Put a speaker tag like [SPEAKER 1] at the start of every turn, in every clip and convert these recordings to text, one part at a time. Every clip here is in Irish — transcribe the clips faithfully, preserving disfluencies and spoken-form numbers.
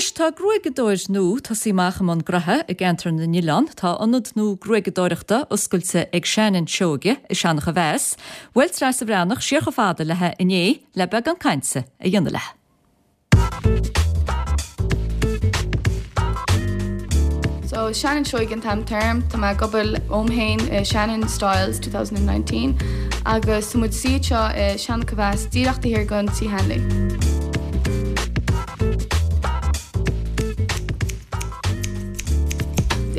[SPEAKER 1] Anois tá gruaigeadóir nua tosaithe amach i mbun graithe i gceantar na nOileán, tá ionad nua gruaigeadóireachta oscailte ag Shannon Seoige i Seanach a Mheas. Bhuail Treasa Bhreathnach siar chomh fada léi inné le beagán cainte a dhéanamh léi.
[SPEAKER 2] So Shannon Seoige an t-ainm atá orm, tá mé ag obair óm fhéin i Shannon Styles two thousand and nineteen agus tá muid suite anseo i Seanach a Mheas díreach taobh thiar den Tí Hanley.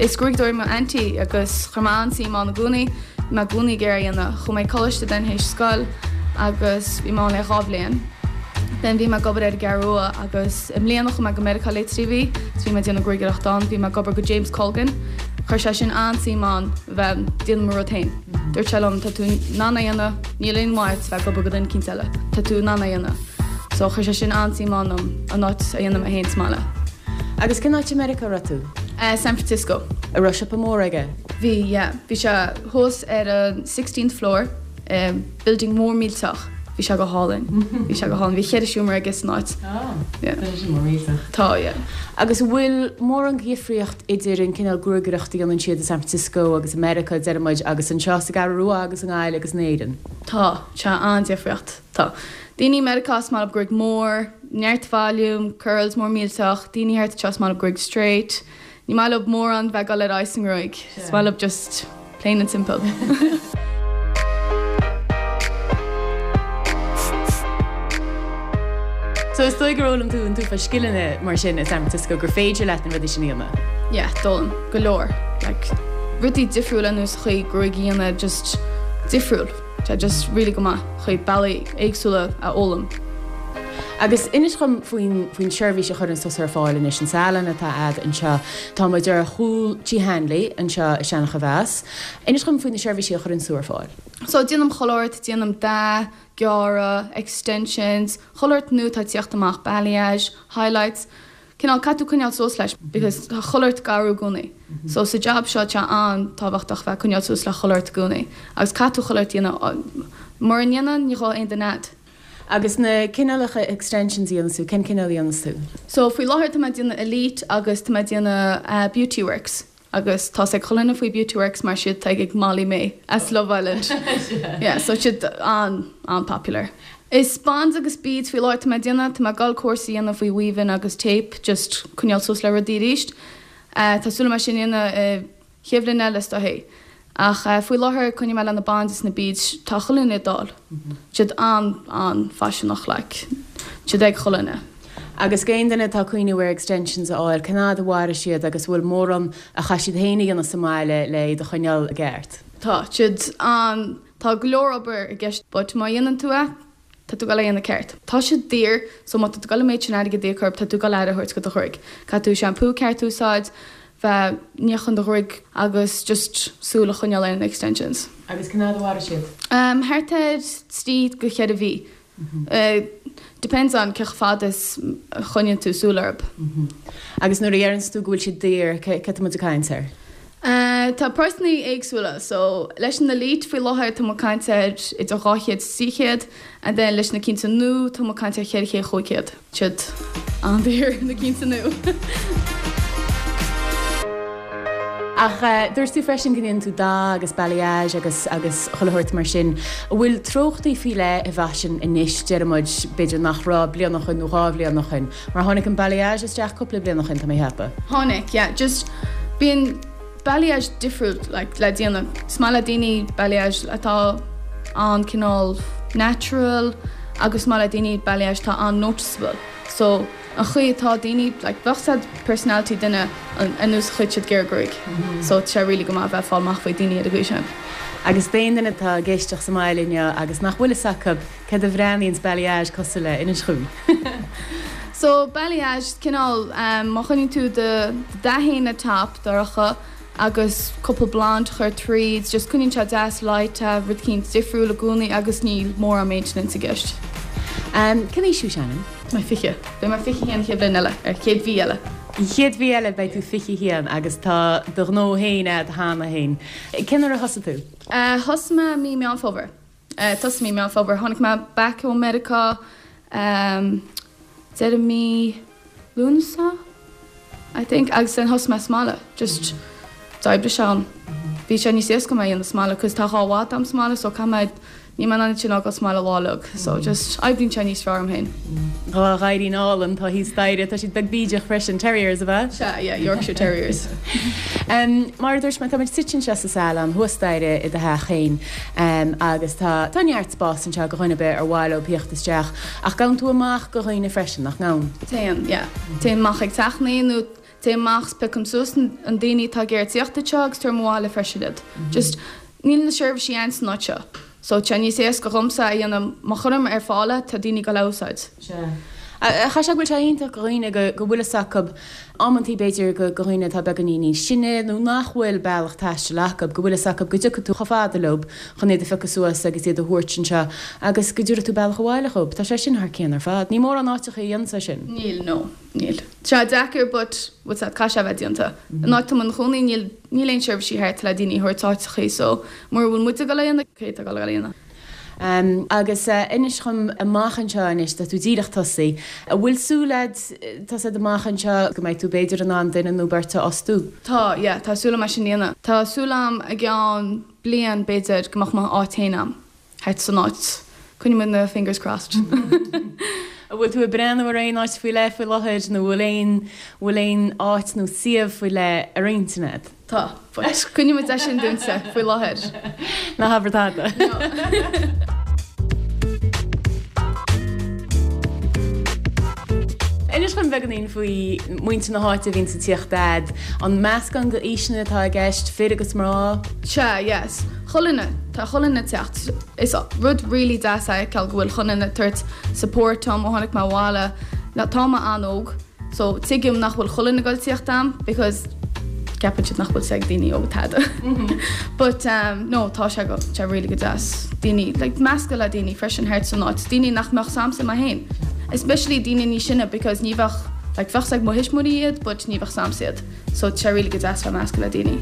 [SPEAKER 2] Is gruaigeadóir mo auntie agus chuir mé an-suim ann i gcónaí, bhí mé i gcónaí ag iarraidh a dhéanamh. Chuaigh mé ag coláiste then théis scoil agus bhí mé ann le dhá bhliain. Then bhí mé ag obair ar an gCeathrú Rua agus i mbliana chuaigh mé go Meiriceá le trí mhí so bhí mé ag déanamh gruaigeadóireacht ann, bhí mé ag obair go James Colgan. Chuir sé sin an-suim ann bheith ag déanamh mo rud féin. Dúirt sé liom tá tú in ann é a dhéanamh, níl aon mhaith bheith ag obair go duine eicínt eile, tá tú in ann é a dhéanamh. So chuir sé sin an-suim ann an áit a dhéanamh mé féin sa mbaile.
[SPEAKER 3] Agus cén áit i Meiriceá a raibh tú?
[SPEAKER 2] San Francisco.
[SPEAKER 3] An raibh siopa mór aige?
[SPEAKER 2] Bhí, yeah. Bhí sé thuas ar an sixteenth floor, building mór millteach. Bhí sé go hálainn. Bhí sé go hálainn. Bhí ceithre seomra aige san áit.
[SPEAKER 3] Oh, tá sé mór millteach.
[SPEAKER 2] Tá, yeah.
[SPEAKER 3] Agus an bhfuil mórán dhifríocht idir an cineál gruagaireachta a dhéanann siad i San Francisco agus i Meiriceá, deir muid, agus anseo sa gCeathrú Rua agus i nGaillimh agus in Éirinn?
[SPEAKER 2] Tá, tá an-difríocht. Tá. Daoine i Meiriceá is maith leo gruaig mór, neart volume, curls mór millteach, daoine thart anseo is maith leo gruaig straight. Ní maith leo mórán bheith ag dul ar aghaidh sa ngruaig. Is maith leo just plain and simple.
[SPEAKER 3] So is dóigh gur fhoghlaim tú an t-uafás scileanna mar sin i San Francisco gur féidir leat na rudaí sin a dhéanamh?
[SPEAKER 2] Yeah, d'fhoghlaim go leor. Like rudaí difriúla ar nós chaoi gruaig a dhéanamh just difriúil. Tá just really go maith chaoi bealaí éagsúla a fhoghlaim.
[SPEAKER 3] Agus inis dhom faoin faoin seirbhís a chuireann tusa ar fáil anois, an salon atá a'd anseo. Tá muid ar chúl Tí Hanley anseo i Seanach a Mheas. Inis dhom faoi na seirbhísí a chuireann tú ar fáil.
[SPEAKER 2] So déanaim chuile shórt, déanaim dath, gearradh, extensions, chuile shórt nua atá ag tíocht amach, balayage, highlights, cineál caithfidh tú coinneáil suas leis because tá chuile shórt ag athrú i gcónaí. So sa job seo tá sé an-tábhachtach bheith ag coinneáil suas le chuile shórt i gcónaí agus caithfidh tú chuile shórt a dhéanamh. Mura ndéanann ní gheobhaidh aon duine a'd.
[SPEAKER 3] Agus na cineálacha extensions a dhéanas tú, cén cineál a dhéanas tú?
[SPEAKER 2] So faoi láthair tá mé ag déanamh Elite agus tá mé ag déanamh Beauty Works agus tá 's ag chuile dhuine faoi Beauty Works mar siad atá ag Molly-Mae as Love Island. Yeah, so siad an an-popular. Is bonds agus beads faoi láthair tá mé ag déanamh, tá mé ag dul cúrsa a dhéanamh faoi weaving agus tape just coinneáil suas le rudaí arís. Tá súil agam é sin a dhéanamh i chéad bhliain eile is dóichí. Ach faoi láthair coinneoidh mé le na bonds is na beads, tá chuile dhuine ag dul. Siad an an-fhaiseanach like, siad ag chuile dhuine.
[SPEAKER 3] Agus d'aon duine atá ag cuimhniú ar extensions a fháil, cén fhad a mhairfidh siad agus an bhfuil mórán a chaithfidh siad féin a dhéanamh sa mbaile le iad a choinneáil i gceart?
[SPEAKER 2] Tá siad an, tá go leor obair i gceist but má dhéanann tú é, tá tú ag dul a dhéanamh ceart. Tá siad daor so má tá tú ag dul an méid sin airgid a íoc orthu tá tú ag dul aire a thabhairt go do ghruaig. Caithfidh tú shampoo ceart a úsáid, bheith níochán do ghruaig agus just súil a choinneáil ar na extensions.
[SPEAKER 3] Agus cén fhad a mhairfidh siad?
[SPEAKER 2] Um thart ar trí go ceithre mhí. Depends on cé chomh fada is a choinníonn tú súil orthu.
[SPEAKER 3] Agus nuair a dheireanns tú go bhfuil siad daor, cé tá muid ag caint air?
[SPEAKER 2] Tá praghsanna éagsúla so leis an Elite faoi láthair tá muid ag caint ar idir dhá chéad is trí chéad and then leis na cinnte nua tá muid ag caint ar cheithre chéad chúig chéad. Siad an-daor na cinnte nua.
[SPEAKER 3] Ach dúirt tú freisin go ndéanann tú dath agus balayage agus agus chuile shórt mar sin. An bhfuil treochtaí faoi leith i bhfaisean anois, deir muid, b'fhéidir nach raibh bliain ó shoin nó dhá bhliain ó shoin? Mar tháinig an balayage isteach cúpla bliain ó shoin, tá mé a cheapadh.
[SPEAKER 2] Tháinig, yeah. Just bíonn balayage difriúil like le déanamh. Is maith le daoine balayage atá an-cineál natural agus is maith le daoine balayage atá an-noticeable. So an chaoi atá daoine, like bheadh said personality duine ar nós an chaoi siad gearradh gruaig. So tá sé really go maith bheith ag fáil amach faoi daoine ar an gcaoi sin.
[SPEAKER 3] Agus d'aon duine atá ag éisteacht sa mbaile inniu agus nach bhfuil fhios acu céard a bhreathnaíonns balayage cosúil le, inis dhúinn.
[SPEAKER 2] So balayage, cineál, má choinníonn tú do dath féin ar top dorcha agus cúpla blonde a chur tríd, just coinníonn sé deas light, rud eicínt difriúil i gcónaí agus níl mórán maintenance i gceist.
[SPEAKER 3] Cén aois thú Shannon?
[SPEAKER 2] Tá mé fiche. Beidh mé fiche haon an chéad bhliain eile, ar chéad mhí eile.
[SPEAKER 3] An chéad mhí eile beidh tú fiche haon agus tá do ghnó féin a'd cheana féin. Cén uair a thosaigh tú?
[SPEAKER 2] Thosaigh mé mí Meán Fómhair. Thosaigh mí Meán Fómhair. Tháinig mé back ó Meiriceá deireadh mí Lúnasa? I think agus then thosaigh mé sa mbaile just d'oibrigh sé dom. Bhí sé níos éasca dom é a dhéanamh sa mbaile cos tá dhá mhadadh a'm sa mbaile so caithfidh mé níl mé in ann iad sin a fhágáil sa mbaile lá uilig so just oibríonn sé níos fearr dom féin.
[SPEAKER 3] Dhá ghadhairín álainn atá thíos staighre, tá siad beag bídeach freisin, terriers ab ea?
[SPEAKER 2] Sea, yeah, Yorkshire Terriers.
[SPEAKER 3] Mar a dúirt mé, tá muid suite anseo sa salon thuas staighre i do theach féin agus tá tá neart spás anseo do dhuine ar bith ar mhaith leo tíocht isteach ach gabhann tú amach do dhaoine freisin, nach ngabhann?
[SPEAKER 2] Téann, yeah. Téim amach ag teachnaí nó téim amach 's piocaim suas an daoine atá ag iarraidh tíocht anseo agus tabhairim abhaile freisin iad. Just níl na seirbhísí ann san áit seo so tá sé níos éasca dhomsa a dhéanamh má chuirim ar fáil é tá daoine ag dul a úsáid.
[SPEAKER 3] Sea. Chaithfeadh sé go bhfuil sé iontach do dhaoine go go bhfuil fhios acu amantaí b'fhéidir go go dhaoine atá beagáinín níos sine nó nach bhfuil bealach taistil acu go bhfuil fhios acu go dtiocfaidh tú chomh fada leo chun iad a phiocadh suas agus iad a thabhairt anseo agus go dtabharfaidh tú bealach abhaile dhób. Tá sé sin thar cionn ar fad. Ní mórán áiteacha a dhéananns é sin.
[SPEAKER 2] Níl, no, níl. Tá sé deacair but what's that, caithfidh sé a bheith déanta. An áit tá mé i mo chónaí níl níl aon seirbhísí thart le daoine a thabhairt áiteachaí so mura bhfuil muid ag dul a dhéanamh cé atá ag dul a dhéanamh?
[SPEAKER 3] Agus inis dhom amach anseo anois, tá tú díreach tosaithe, an bhfuil súil a'd, tá 's a'd amach anseo go mbeidh tú b'fhéidir in ann duine nó beirt a fhostú?
[SPEAKER 2] Tá, yeah, tá súil a'm é sin a dhéanamh. Tá súil a'm i gceann bliain b'fhéidir go mbeadh m'áit féin a'm, thart san áit. Coinneoidh muid na fingers crossed.
[SPEAKER 3] An bhfuil tú ag breathnú ar aon áit faoi leith faoi láthair nó bhfuil aon, bhfuil aon áit nó suíomh faoi leith ar intinn a'd?
[SPEAKER 2] Tá, but coinneoidh muid é sin dúinnse faoi láthair.
[SPEAKER 3] Ná habair tada.
[SPEAKER 2] No.
[SPEAKER 3] Inis dom beagáinín faoi muintir na háite a bhíonns ag tíocht a'd. An meascán d'aoiseanna atá i gceist, fir agus mná?
[SPEAKER 2] Sea, yes. Chuile dhuine, tá chuile dhuine ag teacht. Is rud really deas é a fheiceáil go bhfuil chuile dhuine ag tabhairt support dom ó tháinig mé abhaile. Tá mé an-óg. So tuigim nach bhfuil chuile dhuine ag dul tíocht a'm because ceapann siad nach bhfuil 's ag daoine óga tada. But um no tá sé go tá sé really go deas daoine like meascadh le daoine freisin thart san áit, daoine nach mbeadh 's a'msa mé féin. Especially daoine níos sine because ní bheadh like bheadh 's ag mo thuismitheoirí iad but ní bheadh 's a'msa iad. So tá sé really go deas bheith meascadh le daoine.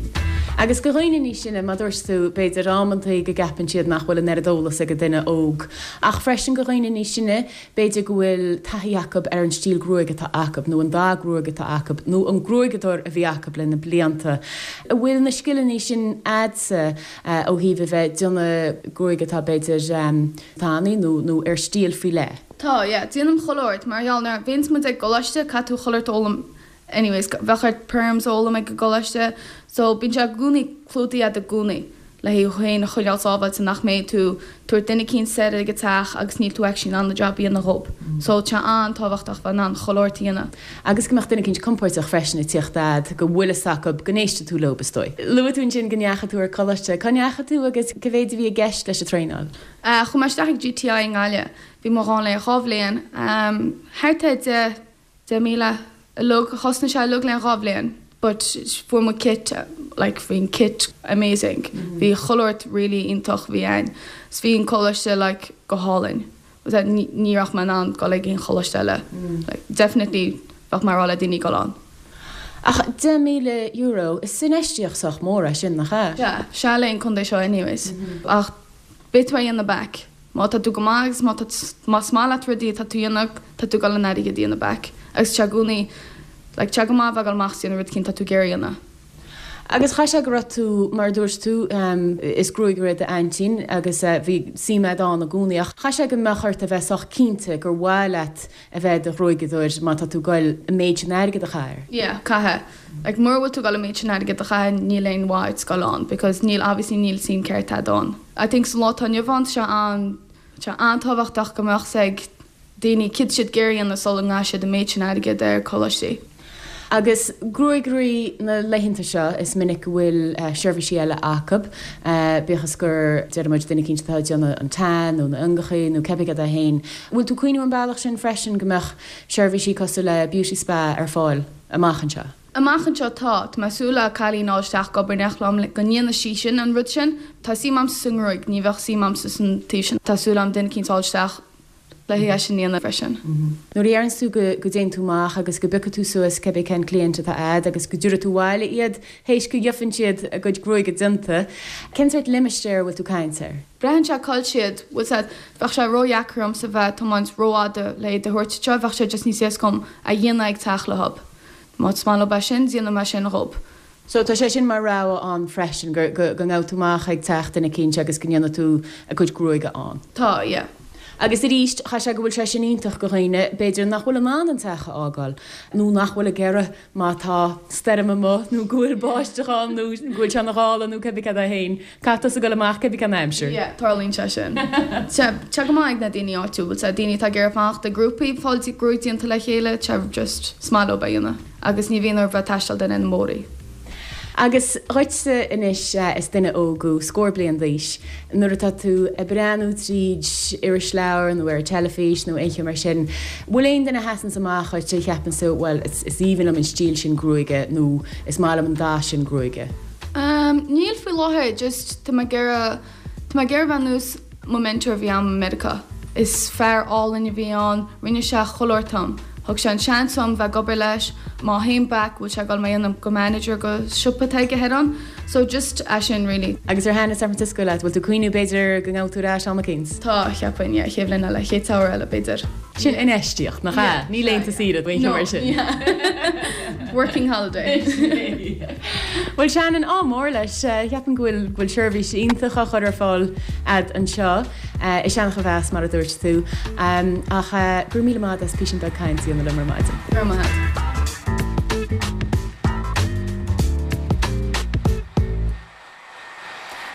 [SPEAKER 3] Agus do dhaoine níos sine, mar dúirt tú, b'fhéidir amantaí go gceapann siad nach bhfuil an oiread eolas ag an duine óg. Ach freisin do dhaoine níos sine, B'fhéidir go bhfuil taithí acu ar an stíl gruaige atá acu, nó an dath gruaige atá acu, nó an gruaigeadóir a bhí acu le na blianta. An bhfuil na scileanna sin a'dsa ó thaobh a bheith ag déanamh gruaige atá b'fhéidir tanaí nó nó ar stíl faoi leith?
[SPEAKER 2] Tá, yeah. Déanaim chuile shórt. Mar gheall nuair a bhíonns muid ag coláiste caithfidh tú chuile shórt a fhoghlaim anyways. Bheadh ort perms a fhoghlaim ag an gcoláiste so bíonn sé i gcónaí clúdaithe a'd i gcónaí. le thú féin a choinneáil sábháilte nach mbeidh tú tabhairt duine eicínt soir ag an teach agus níl tú actually in ann an job a dhéanamh dhób. So tá sé an-tábhachtach bheith in ann chuile shórt a dhéanamh.
[SPEAKER 3] Agus go mbeadh duine eicínt compóirteach freisin ag tíocht a'd, go bhfuil fhios acu go n-éistfidh tú leob, is dóigh. Luaigh tú ansin go ndeachaigh tú ar coláiste. Cá ndeachaigh tú agus cá mhéid a bhí i gceist leis an traenáil?
[SPEAKER 2] Chuaigh mé isteach ag GTI i nGaillimh. Bhí mé ann le dhá bhliain. Thart ar deich, deich míle uilig, chosnaigh sé uilig le dhá bhliain but fuair muid kit like bhí an kit amazing bhí chuile shórt really iontach bhí ann 's bhí an coláiste like go hálainn was that ní ní raibh mé in ann dul ag aon choláiste eile like definitely bheadh mé ag rá le daoine dul ann.
[SPEAKER 3] Ach deich míle euro, is infheistíocht sách mór é sin, nach ea?
[SPEAKER 2] Sea, sea le an contae seo anyways ach beidh tú á dhéanamh back. Má tá tú go maith agus má tá más maith leat rudaí atá tú a dhéanamh, tá tú ag dul an airgead a dhéanamh back. Agus tá sé i gcónaí, like, tá sé go maith a bheith ag dul amach is déanamh rud eicínt atá tú ag iarraidh a dhéanamh.
[SPEAKER 3] Agus chaithfeadh sé go raibh tú, mar a dúirt tú, is gruagaire d'aintín agus bhí suim a'd ann i gcónaí ach chaithfeadh sé go mbeadh ort a bheith sách cinnte gur mhaith leat a bheith i do ghruaigeadóir má tá tú ag goil an méid sin airgead a chaitheamh air.
[SPEAKER 2] Yeah, caithfidh. Like, mura bhfuil tú ag dul an méid sin airgead a chaitheamh níl aon mhaith duit dul ann because níl, obviously níl suim ceart a'd ann. I think sa lá atá inniu ann tá sé an, tá sé an-tábhachtach go mbeadh 's ag daoine céard tá siad ag iarraidh a dhéanamh sula gcaithfidh siad an méid sin airgead ar coláistí.
[SPEAKER 3] Agus gruaigairí na laethanta seo is minic go bhfuil seirbhísí eile acu, bíodh is gur, déarfaidh muid, duine eicínt atá ag déanamh an tan nó na iongachaí nó cébí cad é féin. Bhfuil tú ag cuimhniú an bealach sin freisin go mbeadh seirbhísí cosúil le beauty spa ar fáil amach anseo?
[SPEAKER 2] Amach anseo tá. Tá mé ag súil le cailín a fháil isteach ag obair in éineacht liom le go ndéanfaidh sí sin an rud sin. Tá suim a'msa sa ngruaig, ní bheadh suim a'msa san taobh sin. Tá súil a'm duine eicínt a fháil isteach le haghaidh é sin a dhéanamh freisin.
[SPEAKER 3] Nuair a dheireanns tú go go dtéann tú amach agus go bpiocfaidh tú suas cébí cén client atá a'd agus go dtabharfaidh tú abhaile iad théis go gheobhann siad a gcuid gruaige déanta, cén sórt limistéar a bhfuil tú caint air?
[SPEAKER 2] Braitheann sé cá bhfuil siad, bhfuil 's a'd, bheadh sé ródheacair ormsa bheith ag tiomáint rófhada le iad a thabhairt anseo, bheadh sé just níos éasca dom a dhéanamh ag teach leob. Má is maith leob é sin, déanfaidh mé sin dhób.
[SPEAKER 3] So tá sé sin mar rogha ann freisin, go ngabhfaidh tú amach ag teach duine eicínt agus go ndéanfaidh tú a gcuid gruaige ann.
[SPEAKER 2] Tá, yeah.
[SPEAKER 3] Agus arís, chaithfeadh sé go bhfuil sé sin iontach go dhaoine, b'fhéidir, nach bhfuil in ann an teach a fhágáil, nó nach bhfuil ag iarraidh má tá stoirm amuigh, nó go bhfuil báisteach ann, nó go bhfuil sé ina ghála, nó cibé cad é féin. Caithfidh tusa dul amach cibé cén aimsir.
[SPEAKER 2] Yeah, tarlaíonn sé sin. Tá sé go maith ag na daoine áitiúil, tá daoine atá ag iarraidh fanacht i grúpaí, fáil gruaig déanta le chéile, tá just, is maith leob é a dhéanamh agus ní bhíonn orthu bheith ag taisteal duine na móraí.
[SPEAKER 3] Agus dhuitse anois, is duine óg thú, scór bliain d'aois, nuair atá tú ag breathnú tríd irisleabhar nó ar an teilifís nó aon cheo mar sin, bhfuil aon duine a sheasanns amach dhuit a cheapann tú, bhuel, is aoibhinn liom an stíl sin gruaige nó is maith liom an dath sin gruaige?
[SPEAKER 2] Níl faoi láthair, just tá mé ag iarraidh, tá mé ag iarraidh bheith nós mo mentor a bhí a'm i Meiriceá. Is fear álainn a bhí ann, rinne sé chuile shórt dom. Thug sé an seans dom bheith ag obair leis, má théim back bhfuil sé ag dul mé a dhéanamh go manager go siopa atá aige thoir ann. So just é sin really.
[SPEAKER 3] Agus ar thaitin San Francisco leat? Bhfuil tú ag cuimhniú b'fhéidir go ngabhfaidh tú ar ais am eicínt?
[SPEAKER 2] Tá, cheapfainn, yeah, chéad bhliain eile, chéad samhradh eile b'fhéidir.
[SPEAKER 3] Sin infheistíocht, nach ea? Ní laethanta saoire nó aon cheo mar sin.
[SPEAKER 2] Working holiday.
[SPEAKER 3] Bhuel Shannon, ádh mór leis. Cheapfainn go bhfuil go bhfuil seirbhís iontach á chur ar fáil a'd anseo i Seancha Mheas mar a dúirt tú. Ach go raibh míle maith a'd as písín beag cainte a dhéanamh liom ar maidin.
[SPEAKER 2] Go raibh maith a'd.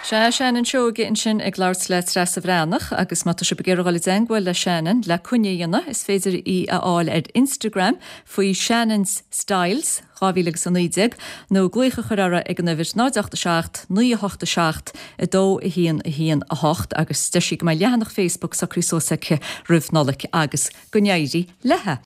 [SPEAKER 1] Sea, Shannon Seoige ansin ag labhairt le Treasa Bhreathnach agus má tá sibh ag iarraidh dul i dteangmháil le Shannon le coinne a dhéanamh, is féidir í a fháil ar Instagram faoi Shannon's Styles dhá mhíle agus a naoi déag nó glaoch a chur uirthi ag an uimhir náid ocht a seacht, naoi a hocht a seacht, a dó a haon a haon a hocht agus deir sí go mbeidh leathanach Facebook socraithe suas aici roimh Nollaig agus go n-éirí léi.